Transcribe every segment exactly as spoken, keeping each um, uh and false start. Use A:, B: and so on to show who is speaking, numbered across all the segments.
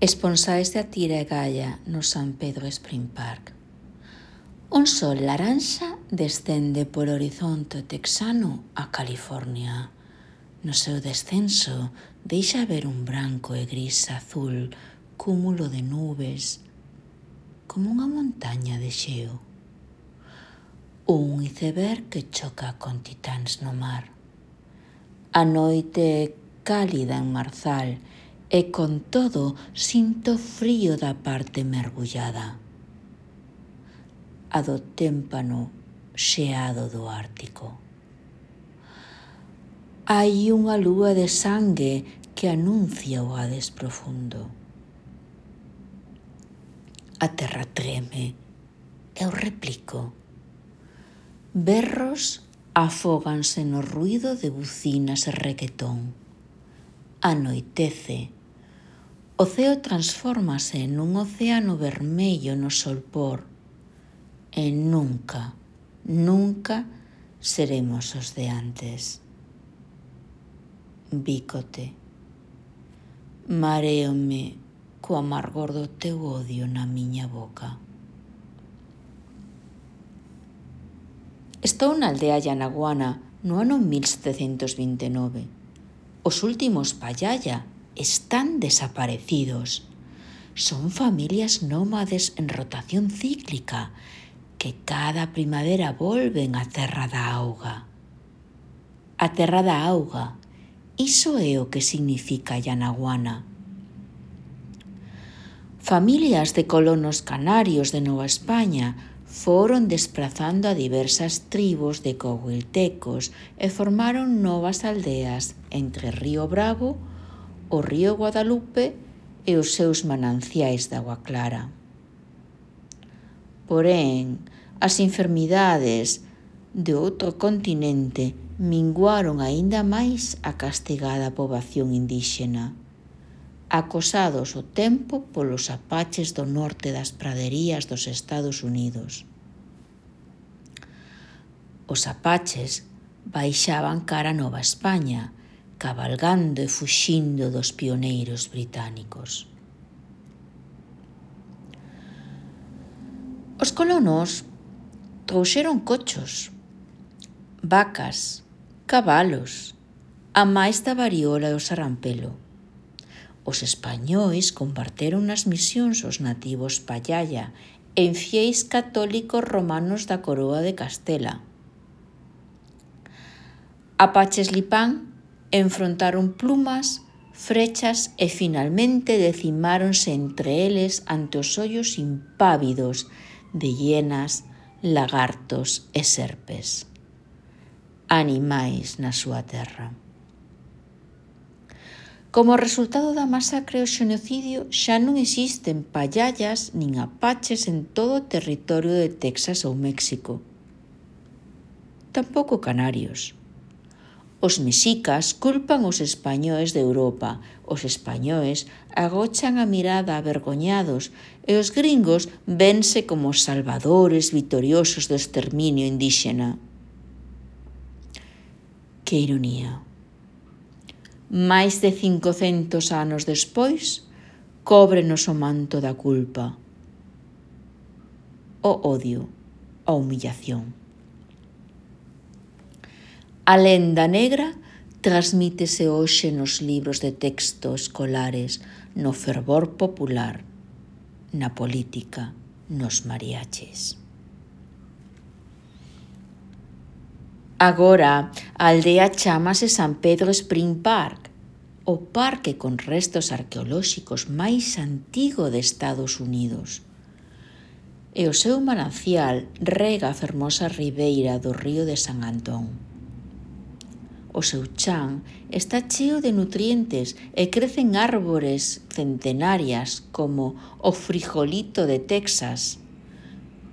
A: Esponsais de Atira e Gaia no San Pedro Spring Park. Un sol laranxa descende polo horizonte texano a California. No seu descenso deixa ver un branco e gris azul cúmulo de nubes, como unha montaña de xeo. Un iceberg que choca con titáns no mar. A noite é cálida en Marzal e con todo sinto frío da parte mergullada. A do témpano xeado do Ártico. Hai unha lúa de sangue que anuncia o Hades profundo. A terra treme, eu replico. Berros afóganse no ruído de bucinas e requetón. Anoitece. O ceo transfórmase nun océano vermello no solpor e nunca, nunca seremos os de antes. Bícote. Maréome co amargor do teu odio na miña boca. Estou na aldea Yanaguana no ano mil setecentos vinte e nove. Os últimos payaya están desaparecidos. Son familias nómades en rotación cíclica que cada primavera volven á terra da auga. A terra da auga, iso é o que significa Yanaguana. Familias de colonos canarios de Nova España foron desprazando a diversas tribos de coguiltecos e formaron novas aldeas entre Río Bravo, o río Guadalupe e os seus mananciais de agua clara. Porén, as enfermidades de outro continente minguaron aínda máis a castigada poboación indíxena, acosados o tempo polos apaches do norte das praderías dos Estados Unidos. Os apaches baixaban cara a Nova España, cabalgando e fuxindo dos pioneiros británicos. Os colonos trouxeron cochos, vacas, cabalos, a máis da variola e o sarampelo. Os españois comparteron nas misións os nativos payaya en fieis católicos romanos da coroa de Castela. Apaches Lipán enfrontaron plumas, frechas e finalmente decimáronse entre eles ante os ollos impávidos de hienas, lagartos e serpes. Animais na súa terra. Como resultado da masacre e o xenocidio, xa non existen payayas nin apaches en todo o territorio de Texas ou México. Tampouco canarios. Os mexicas culpan os españois de Europa, os españois agochan a mirada avergoñados e os gringos vense como os salvadores vitoriosos do exterminio indíxena. Que ironía. Mais de cincocentos anos despois, cóbrenos o manto da culpa, o odio, a humillación. A lenda negra transmítese hoxe nos libros de texto escolares, no fervor popular, na política, nos mariachis. Agora, a aldea chámase San Pedro Spring Park, o parque con restos arqueolóxicos máis antigo de Estados Unidos. E o seu manancial rega a fermosa ribeira do río de San Antón. O seu chan está cheo de nutrientes e crecen árbores centenarias como o frijolito de Texas,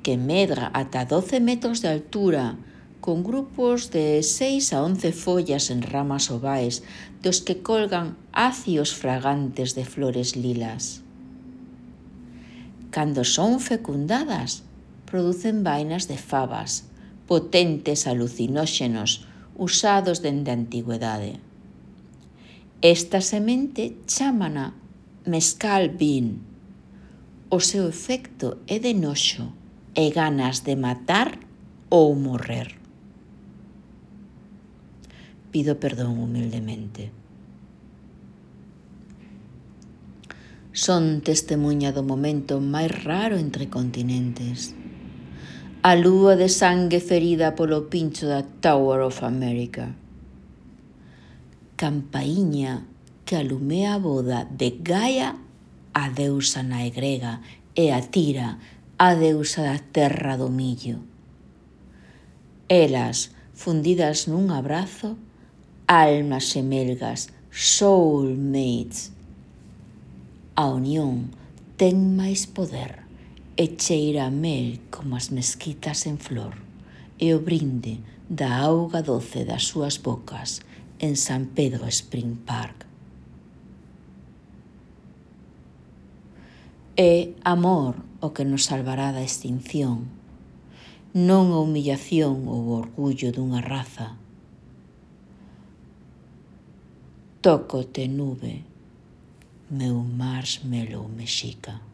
A: que medra ata doce metros de altura, con grupos de seis a once follas en ramas ovais, dos que colgan acios fragantes de flores lilas. Cando son fecundadas, producen vainas de fabas, potentes alucinóxenos, usados dende a antigüedade. Esta semente chámana Mescal Bean. O seu efecto é de noxo e ganas de matar ou morrer. Pido perdón humildemente. Son testemunha do momento máis raro entre continentes. A lúa de sangue ferida polo pincho da Tower of America. Campaíña que alumea a boda de Gaia, a deusa nai grega, e a Tira, a deusa da terra do millo. Elas, fundidas nun abrazo, almas xemelgas, soulmates. A unión ten máis poder e cheira a mel como as mesquitas en flor e o brinde da auga doce das súas bocas en San Pedro Spring Park. É amor o que nos salvará da extinción, non a humillación ou o orgullo dunha raza. Tócote nube, meu marshmallow mexica.